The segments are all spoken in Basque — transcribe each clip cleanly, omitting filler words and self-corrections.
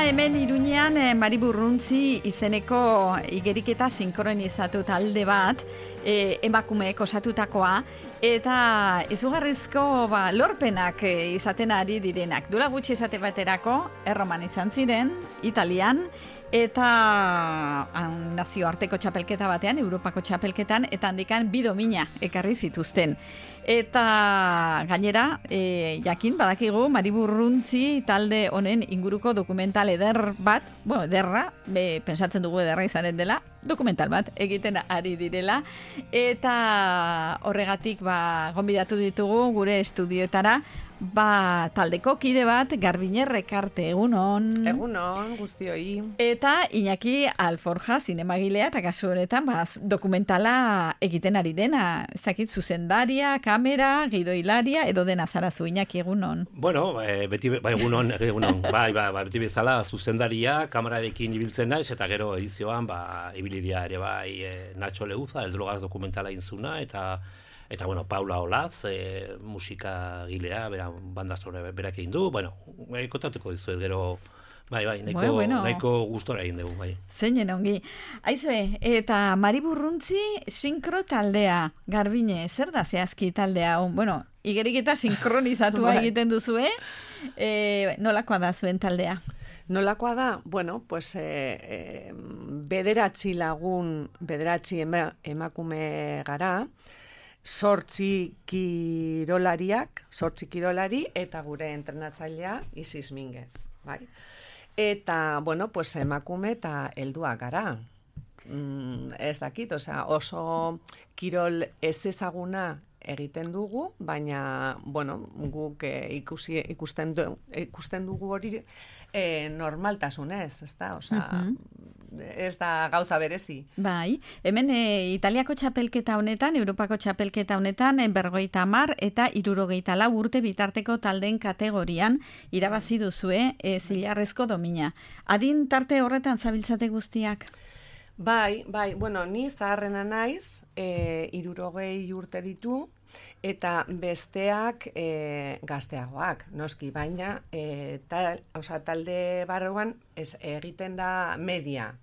Hemen Iruñean Mari Burruntzi izeneko igeriketa sinkronizatu talde bat, emakumeek osatutakoa, eta izugarrizko lorpenak izaten ari direnak. Duela gutxi esate baterako, Erroman izan ziren, Italian, eta nazioarteko txapelketa batean, Europako txapelketan, eta handikan 2 domina ekarri zituzten. Eta gainera, jakin badakigu Mari Burruntzi talde honen inguruko dokumental eder bat, ederra, pentsatzen dugu ederra izanen dela, dokumental bat egiten ari direla, eta horregatik gonbidatu ditugu gure estudioetara, taldeko kide bat, Garbiner Rekarte, egunon. Egunon, guztioi. Eta Iñaki Alforja, zinemagilea, eta kasu honetan, dokumentala egiten ari dena, ezakit zuzendaria, kamera, gidoilaria, edo dena zarazu, Iñaki, egunon. Bueno, egunon, beti bezala zuzendaria, kamerarekin ibiltzen naiz, eta gero edizioan, ibilidia ere Nacho Leuza, El Drogas dokumentala inzuna, eta bueno, Paula Olaz, musika gilea, banda sonora berak egin du, kontatuko dizuet gero, nahiko gustora egin dugu, bai. Zeinen ongi. Aizue, eta Mari Burruntzi sinkro taldea, Garbine, zer da zehazki taldea? Bueno, igeriketa sinkronizatua egiten duzue, nolakoa da zuen taldea? Nolakoa da, bueno, pues bederatzi emakume gara, 8 kirolari eta gure entrenatzailea Isis Minguez, bai. Eta, bueno, pues emakume eta helduak gara. Ez dakit, oso kirol ez ezaguna egiten dugu, baina, bueno, guk ikusten dugu hori normaltasunez, ezta? Ez da gauza berezi. Bai, hemen Italiako txapelketa honetan, Europako txapelketa honetan, 50 eta 64 urte bitarteko taldeen kategorian irabazi duzue zilarrezko domina. Adin tarte horretan zabiltzate guztiak? Bai, bueno, ni zaharrena naiz, 60 urte ditu, eta besteak gazteagoak, noski, baina talde barruan egiten da media,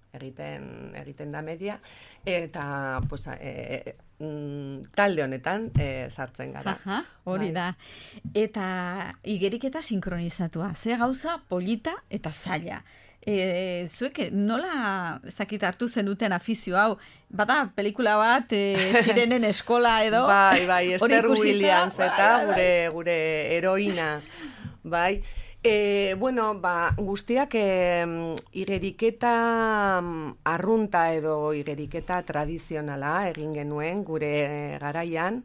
eta pues, talde honetan sartzen gara. Hori da. Eta igeriketa sinkronizatua, ze gauza polita eta zaila. Zuek nola hartu zenuten afizio hau? Bada pelikula bat, Sirenen eskola edo? Bai, Esther Williams eta gure heroina. Bai. Bueno, guztiak igeriketa arrunta edo igeriketa tradizionala egin genuen gure garaian,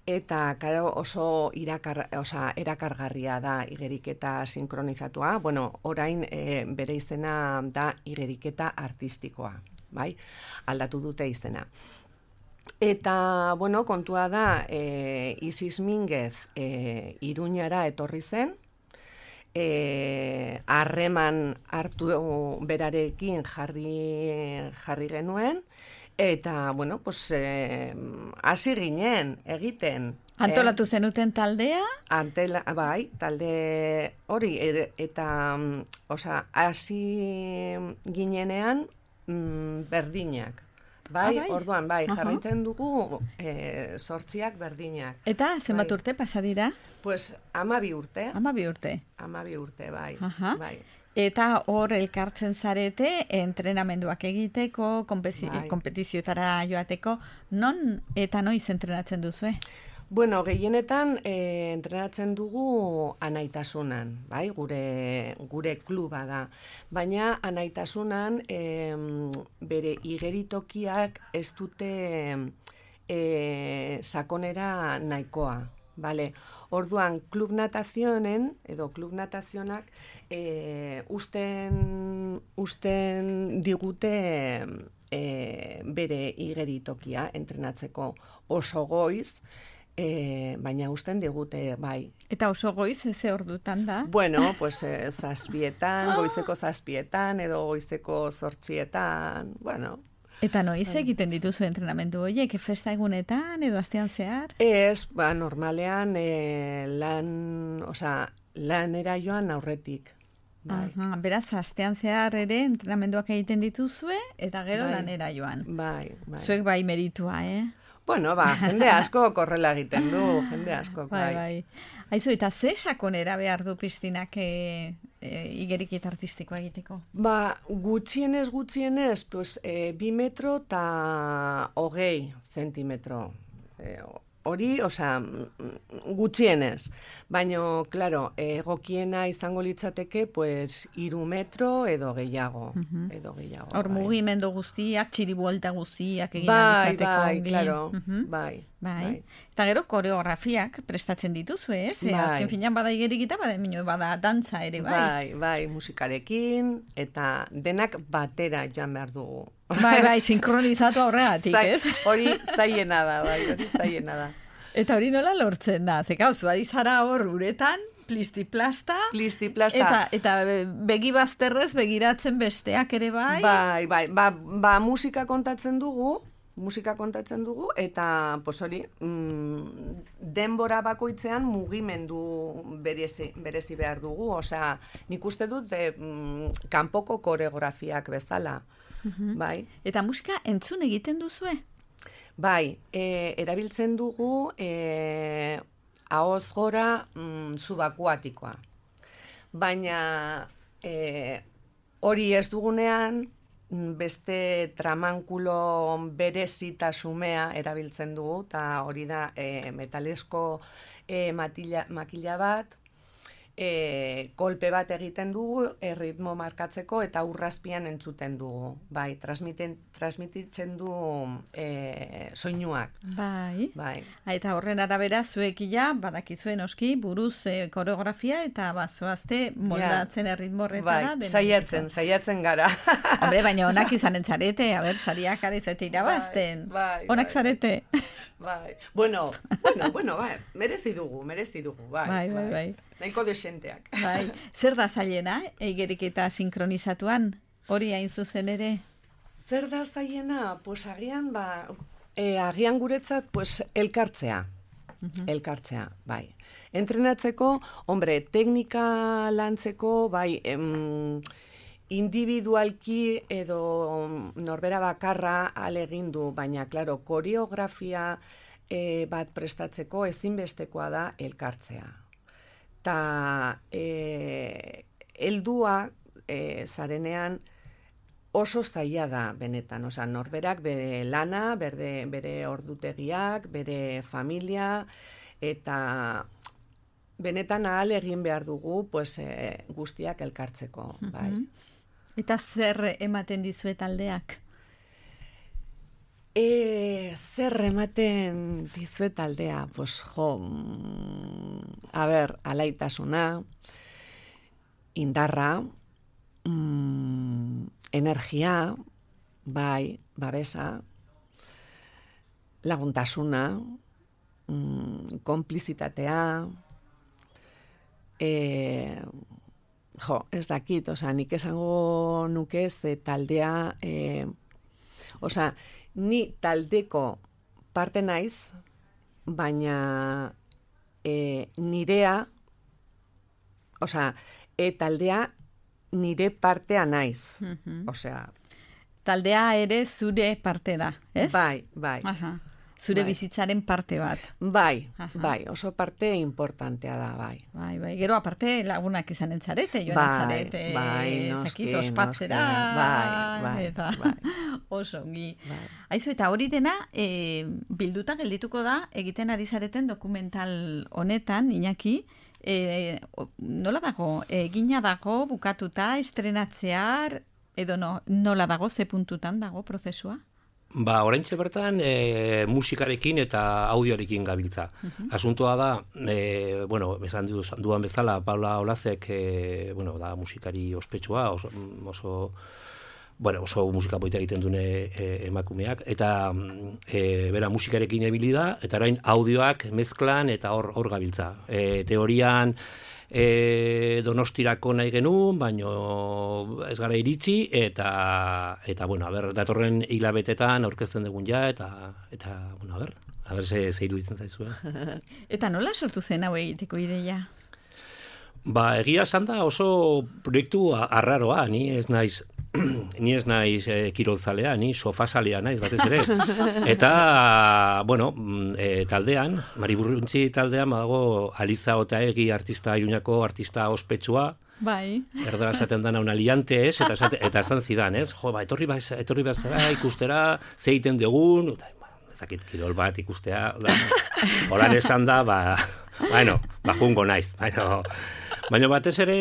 eta oso erakargarria da igeriketa sinkronizatua. Bueno, orain bere izena da igeriketa artistikoa, bai? Aldatu dute izena. Eta, bueno, kontua da, Isis Minguez Iruñara etorri zen, harreman hartu berarekin jarri genuen, eta, bueno, pues, hasi ginen egiten. Antolatu zenuten taldea? Bai, talde hori, eta, hasi ginenean berdinak. Bai, orduan, jarraitzen dugu 8 berdinak. Eta, zenbat urte pasa dira? Pues, 12 urte. 12 urte? 12 urte, bai. Eta hor elkartzen zarete, entrenamenduak egiteko, konpetizioetara joateko, non eta noiz entrenatzen duzue? Bueno, gehienetan entrenatzen dugu anaitasunan, bai, gure kluba da. Baina anaitasunan bere igeritokiak ez dute sakonera nahikoa. Vale. Orduan, klub natazionen, edo klub natazionak, usten digute bere igeritokia entrenatzeko oso goiz, baina usten digute, bai. Eta oso goiz, ze ordutan da? Bueno, pues zazpietan, goizeko zazpietan, edo goizeko 8etan, bueno. Eta noiz egiten dituzu entrenamendu horiek, festa egunetan edo astean zehar? Ez, normalean lanera joan aurretik. Bai. Aha, beraz, astean zehar ere entrenamenduak egiten dituzue, eta gero lanera joan. Bai. Zuek bai meritua, Bueno, jende asko korrela egiten du, jende asko, bai. Aizu, eta ze sakonera behar du Kristinak igeriketa artistikoa egiteko? Gutxienez, pues, 2 metro eta 20 zentimetro. Hori, gutxienez. Baina, claro, egokiena izango litzateke, pues, 3 metro edo gehiago. Hor mugimendu guztiak, txiribuelta guztiak egin alizateko. Bai, claro, bai. Eta gero koreografiak prestatzen dituzu, ez? Azken finean bada igeriketa, bada dantza ere, bai. Bai, musikarekin, eta denak batera joan behar dugu. Bai, sinkronizatu horregatik, ez? Hori zaiena da. Eta hori nola lortzen da? Zeka, zuari zara hor uretan, plistiplasta. Eta begi bazterrez begiratzen besteak ere bai? Bai. Musika kontatzen dugu, eta pues hori, denbora bakoitzean mugimendu berezi behar dugu. Osea, nik uste dut kanpoko koreografiak bezala. Bai. Eta musika entzun egiten duzue? Bai, erabiltzen dugu ahoz gora subakuatikoa. Baina hori ez dugunean, beste tramankulo berezitasumea erabiltzen dugu, eta hori da metalesko makila bat, kolpe bat egiten dugu, erritmo markatzeko, eta urrazpian entzuten dugu. Bai, transmititzen du soinuak. Bai. Eta horren arabera, zuekila, badakizuen oski, buruz koreografia, eta bazoazte moldatzen erritmo horretara. Bai, saiatzen gara. Hombre, baina onak izanen zarete, sariak arizete irabazten. Bai. Onak zarete. Bai. Bueno, bai, merezi dugu, bai. Nahiko desenteak. Bai. Zer da zailena, igeriketa sinkronizatuan? Hori hain zuzen ere? Zer da zailena? Pues agian guretzat, pues, elkartzea. Elkartzea, bai. Entrenatzeko, teknika lantzeko, bai, individualki edo norbera bakarra alegindu, baina, klaro, koreografia bat prestatzeko ezinbestekoa da elkartzea. Ta heldua zarenean oso zaila da benetan, norberak bere lana, bere ordutegiak, bere familia, eta benetan ahal egin behar dugu pues, guztiak elkartzeko. Bai. Eta zer ematen dizue taldeak? Zer ematen dizue taldea? Pues, alaitasuna, indarra, energia, bai, babesa, laguntasuna, konplizitatea, ez dakit, nik esango nuke taldea, ni taldeko parte naiz, baina nirea, taldea nire partea naiz. Taldea ere zure parte da, ez? Bai. Aha. Zure bizitzaren parte bat. Bai, oso parte importantea da, bai. Bai, gero aparte lagunak izanen zarete, joan zarete, zakit, ospatzera, eta oso ongi. Aizu, eta hori dena, bilduta geldituko da, egiten ari zareten dokumental honetan, Iñaki, nola dago, egina dago, bukatuta, estrenatzear, edo nola dago, ze puntutan dago prozesua? Oraintxe bertan musikarekin eta audioarekin gabiltza. Asuntoa da, esan duan bezala, Paula Olazek, da musikari ospetsua, oso bueno, oso musika polita egiten dune emakumeak, eta bera musikarekin ebili da, eta orain audioak mezklan eta hor gabiltza. Teorian Donostirako nahi genuen, baino ez gara iritsi, eta bueno, datorren hilabetetan aurkezten dugun ja, eta bueno, ze iruditzen zaizue. Eta nola sortu zen hau egiteko ideia? Egia esan da oso proiektu arraroa, ni ez naiz kirolzalea, ni sofazalea naiz batez ere. Eta, bueno, taldean, Mariburruntzi taldean, badago Aliza Otaegi artista Iruñako artista ospetsua, bai. Erdara esaten dana una liante, ez? Eta esan zidan, ez? Jo, etorri bazara ikustera, zeiten dugun, ezakit kirol bat ikustea, holan esan da, jungo naiz, baina batez ere,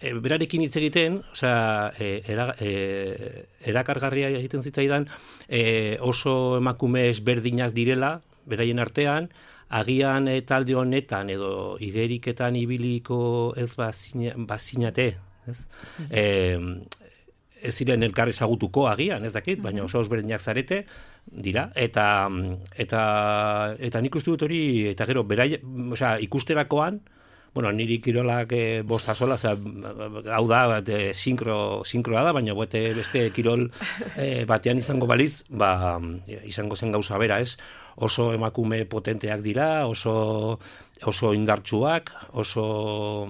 berarekin hitz egiten, erakargarria egiten zitzaidan, oso emakume ezberdinak direla, beraien artean, agian talde honetan edo igeriketan ibiliko ez bazinate, ez? Ez ziren elkar ezagutuko agian, ez dakit, baina oso ezberdinak zarete dira, eta nik uste dut hori, eta gero, ikusterakoan, bueno, niri kirolak bosta sola, hau da, sinkroa da, baina beste kirol batean izango baliz, izango zen gauza bera, ez? Oso emakume potenteak dira, oso indartsuak, oso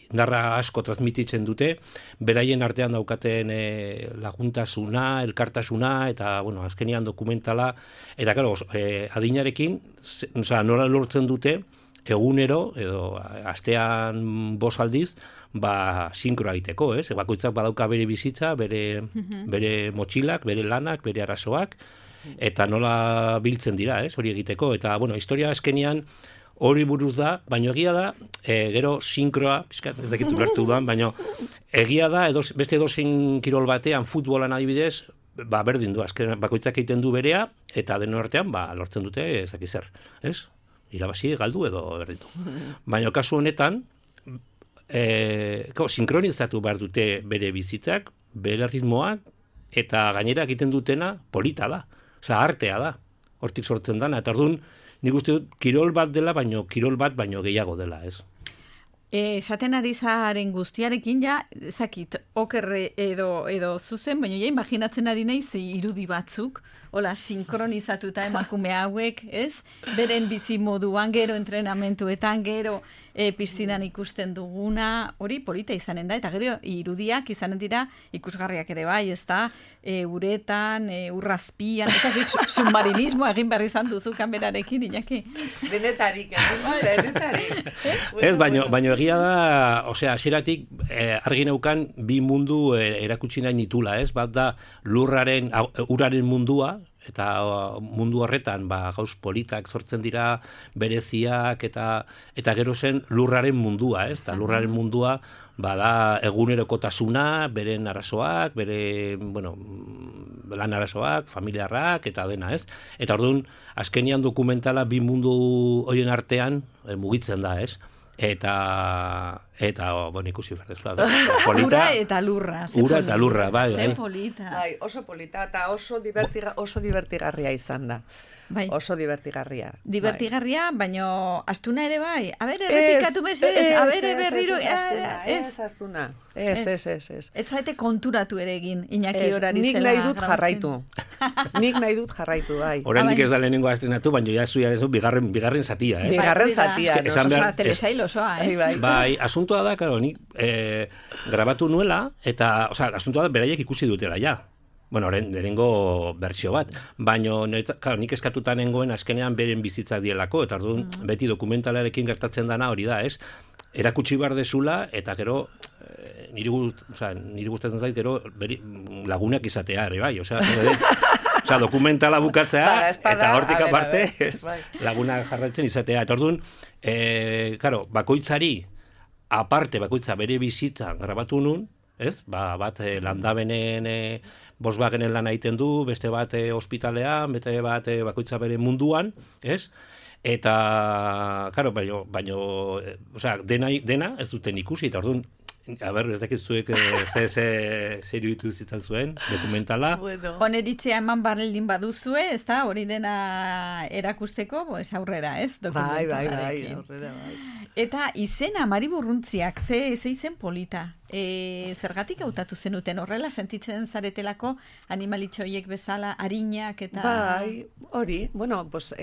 indarra asko transmititzen dute, beraien artean daukaten laguntasuna, elkartasuna, eta, bueno, azkenian dokumentala, eta, claro, adinarekin, nola lortzen dute, egunero, edo astean 5 aldiz, sinkroa egiteko, ez? Bakoitzak badauka bere bizitza, bere motxilak, bere lanak, bere arazoak, eta nola biltzen dira, ez? Hori egiteko, eta, bueno, historia azkenian hori buruz da, baina egia da, gero sinkroa, ez dakit ulertu duan, baina egia da, beste edozein kirol batean, futbolan adibidez, berdin du, azken bakoitzak egiten du berea, eta denon artean, lortzen dute, ez dakit zer, ez? Irabazi, galdu edo berdindu. Baina kasu honetan, sinkronizatu behar dute bere bizitzak, bere ritmoak, eta gainera egiten dutena polita da. Artea da. Hortik sortzen dana. Eta orduan, nik uste dut, kirol bat dela, kirol bat baino gehiago dela, ez? Esaten ari zaren guztiarekin ja, zakit, okerre edo zuzen, baina ja imaginatzen ari naiz irudi batzuk, hola, sinkronizatuta emakume hauek, ez? Beren bizi moduan, gero entrenamentuetan, gero piztinan ikusten duguna, hori polita izanen da, eta gero irudiak izanen dira ikusgarriak ere bai, ez da, uretan, urrazpian, ez da, submarinismoa egin behar izan duzu kamerarekin, Iñaki. Denetarik. Ez, baino egia da, hasieratik argi neukan bi mundu erakutsi nahi nitula, ez? Bat da uraren mundua, eta mundu horretan gauz politak sortzen dira, bereziak, eta gero zen lurraren mundua, ez? Eta lurraren mundua da egunerokotasuna, beren arazoak, bere, bueno, lan arazoak, familiarrak, eta dena, ez? Eta orduan, azkenian dokumentala bi mundu horien artean mugitzen da, ez? Eta bueno, ikusi berdezua. Ura eta lurra. Ura eta lurra, bai. Zer polita. Bai, oso polita, eta oso divertigarria izan da. Bai. Oso divertigarria. Divertigarria, baina astuna ere bai. A ber, errepikatu mesedez, a ber, berriro. Ez, astuna. Ez. Ez zaite konturatu ere egin, Iñaki horari zela. Nik nahi dut jarraitu, bai. Oraindik ez da lehenengo estrenatu, baina ja zuia dezu bigarren zatia, eh? Bigarren zatia, no? Telesail osoa, ez? Bai, asuntoa da, karo, nik grabatu nuela, eta, asuntoa da, beraiek ikusi dutela, ja. Bueno, lehenengo bertsio bat, baina nik eskatuta nengoen azkenean beren bizitzak dielako, eta orduan beti dokumentalarekin gertatzen dana hori da, ez? Erakutsi behar dezula, eta gero, niri gustatzen zait, gero lagunak izatea, ere bai, dokumentala bukatzea, eta hortik aparte, lagunak jarraitzen izatea, eta orduan, bakoitzari, bakoitza bere bizitza grabatu nun, ez? Bat landabenen Volkswagenen lan egiten du, beste bat ospitalean, beste bat bakoitza bere munduan, ez? Eta, baino, dena ez duten ikusi, eta orduan, Ez dakit zuek ze iruditu zitzan zuen, dokumentala. Bueno. Oneritzea eman baldin baduzue, ez da, hori dena erakusteko, pues aurrera, ez? Bai, Dokumentalarekin. aurrera, bai. Eta izena, Mari Burruntziak, ze izen polita. Zergatik hautatu zenuten, horrela sentitzen zaretelako animalitxo horiek bezala, arinak eta... Bai, hori, bueno, pues,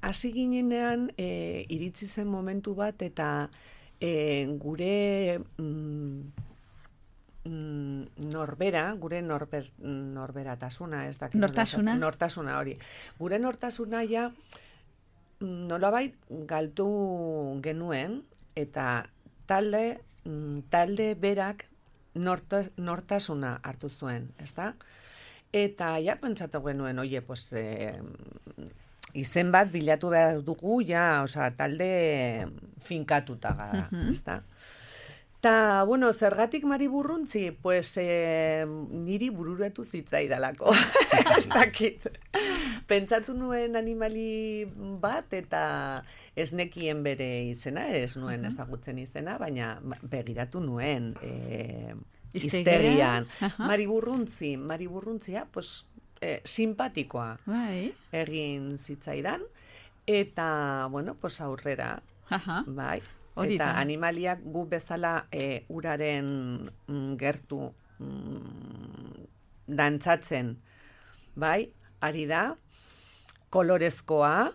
hasi ginenean, iritsi zen momentu bat, eta gure gure norberatasuna, ez dakit. Nortasuna? Nortasuna, hori. Gure nortasuna ja, nolabait galtu genuen, eta talde berak nortasuna hartu zuen, ezta? Eta ja pentsatu genuen, oie, pues, izen bat bilatu behar dugu, ja, osea, talde finkatuta gara, ezta? Ta, bueno, zergatik Mari Burruntzi, pues, niri bururatu zitzaidalako, ez dakit. Pentsatu nuen animali bat, eta ez nekien bere izena, ez nuen ezagutzen izena, baina begiratu nuen iztegian. Mari Burruntzia, pues, simpatikoa egin zitzaidan, eta, bueno, pues, aurrera, bai. Eta animaliak gu bezala uraren gertu dantzatzen, bai, ari da, kolorezkoa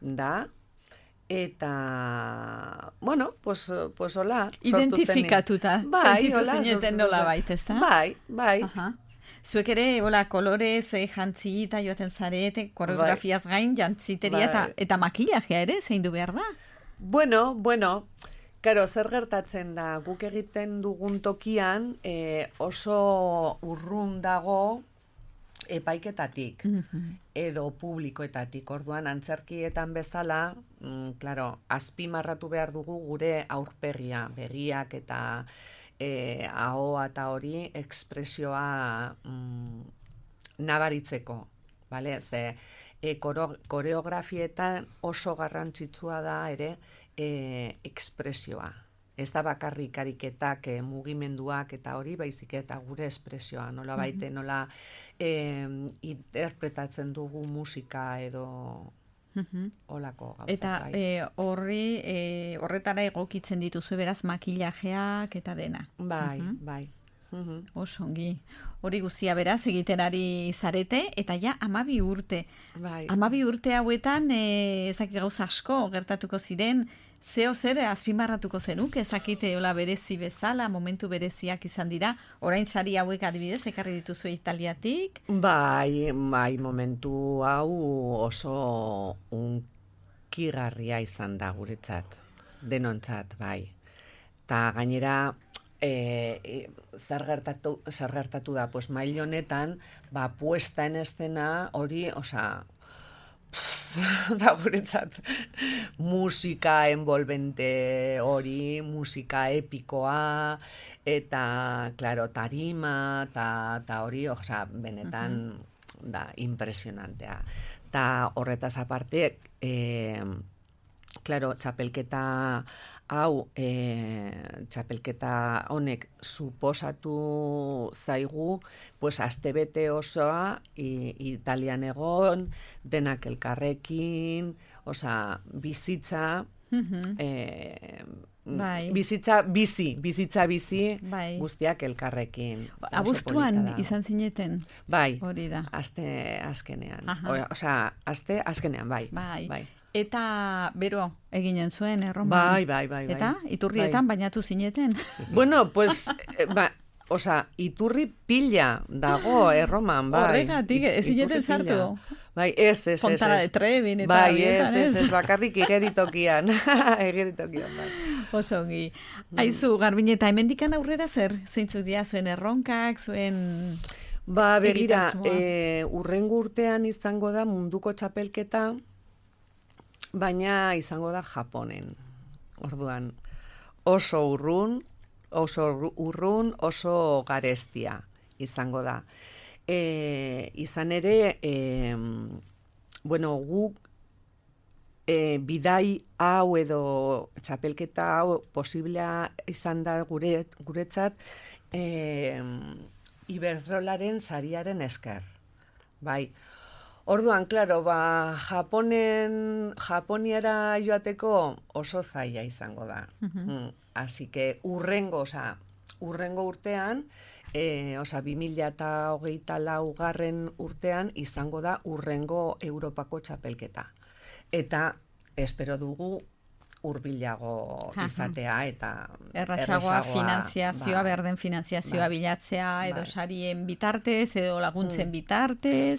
da, eta, bueno, pues hola. Identifikatuta, sentitu zineten nola baita, ez da? Bai. Zuek ere, hola, kolorez, jantzita joaten zarete, koreografiaz gain, jantziteria eta makillajea ere, zein du behar da? Bueno, karo, zer gertatzen da, guk egiten dugun tokian oso urrun dago epaiketatik, edo publikoetatik, orduan antzerkietan bezala, claro, azpimarratu behar dugu gure aurpegia, begiak eta ahoa eta hori ekspresioa nabaritzeko, bale? Ze koreografietan oso garrantzitsua da ere ekspresioa. Ez da bakarrik ariketak, mugimenduak eta hori, baizik eta gure espresioa, nola baite, nola interpretatzen dugu musika edo olako gauza. Eta horretara egokitzen dituzu beraz makillajeak eta dena. Bai. Osongi. Hori guztia beraz egiten ari zarete, eta ja 12 urte. Bai. 12 urte hauetan ezakit gauza asko gertatuko ziren, zeo zer azpimarratuko zenuke, ezakite hola berezi bezala, momentu bereziak izan dira, orain sari hauek adibidez, ekarri dituzu Italiatik? Bai, momentu hau oso unkigarria izan da guretzat, denontzat, bai. Ta gainera, zer gertatu da, pues mail honetan, puesta en escena hori, osea, da guretzat musika envolvente hori, musika epikoa, eta, claro, tarima, eta hori, osea, benetan da impresionantea. Ta horretaz aparte, claro, txapelketa hau, txapelketa honek suposatu zaigu, pues astebete osoa Italian egon, denak elkarrekin, osea, bizitza, bizitza bizi, guztiak elkarrekin. Abuztuan izan zineten? Bai, hori da. Aste azkenean. Osea, aste azkenean, bai. Eta bero eginen zuen Erroman. Bai. Eta iturrietan bainatu zineten? Bueno, pues, osea, iturri pila dago Erroman, bai. Horregatik, ez zineten sartu? Bai, ez. Fontana de Trevi, eta bai, ez, bakarrik igeritokian. Bai. Osongi. Aizu, Garbineta, hemendikan aurrera zer? Zeintzuk dira zuen erronkak, zuen... Begira, urrengo urtean izango da munduko txapelketa, baina izango da Japonen. Orduan, oso urrun, oso garestia izango da. Izan ere, bueno, guk bidai hau edo txapelketa hau posiblea izan da guretzat Iberdrolaren sariaren esker. Bai. Orduan, klaro, Japoniara joateko oso zaila izango da. Así que urrengo urtean, 2024 urtean izango da urrengo Europako txapelketa. Eta espero dugu hurbilago izatea eta errazagoa finanziazioa, berden finanziazioa bilatzea, edo sarien bitartez, edo laguntzen bitartez,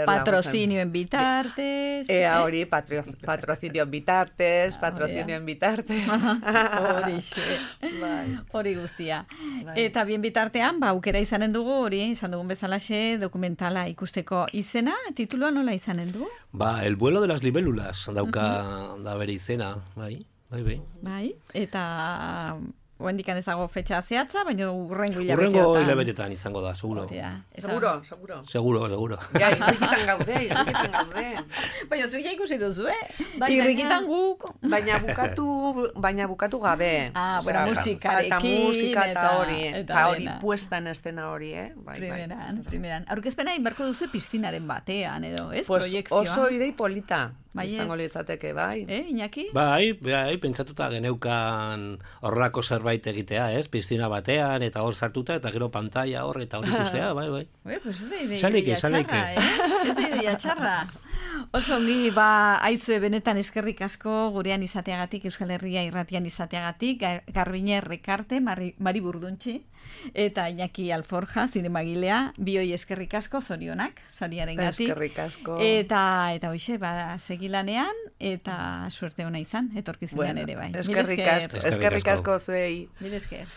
patrozinioen bitartez. Hori, patrozinioen bitartez, hori guztia. Eta bien bitartean, aukera izanen dugu, hori, izan dugun bezalaxe, dokumentala ikusteko izena, titulua nola izanen du? El vuelo de las libélulas, dauka da bere izena, bai. Bai, eta oendikan ez dago fetxa zehatza, baina urrengo hilabetetan izango da, seguro. Seguro. Ja, irrikitan gaude. Baina zuia ikusi duzu, irrikitan guk. Baina bukatu gabe. Bueno, musikarekin. Eta hori, puesta en estena hori, Primeran. Aurkezpena inbarko duzu piztinaren batean, edo, ez? Proiekzioa. Oso idei polita. Izango litzateke, bai. Iñaki? Bai, pentsatuta geneukan horrelako zerbait egitea, ez? Piztina batean, eta hor sartuta, eta gero pantalla hor, eta hor ikustea, bai. Pues ez da ideia txarra, Ez da ideia txarra. Oso ongi, aizue benetan eskerrik asko gurean izateagatik, Euskal Herria irratian izateagatik, Garbine Rekarte, Mari Burduntxi, eta Iñaki Alforja, zinemagilea, bioi eskerrik asko, zorionak, sariaren gatik. Eskerrik asko. Eta hoxe, segilanean, eta suerte ona izan, etorkizunean ere bai. Eskerrik asko zuei. Mil esker.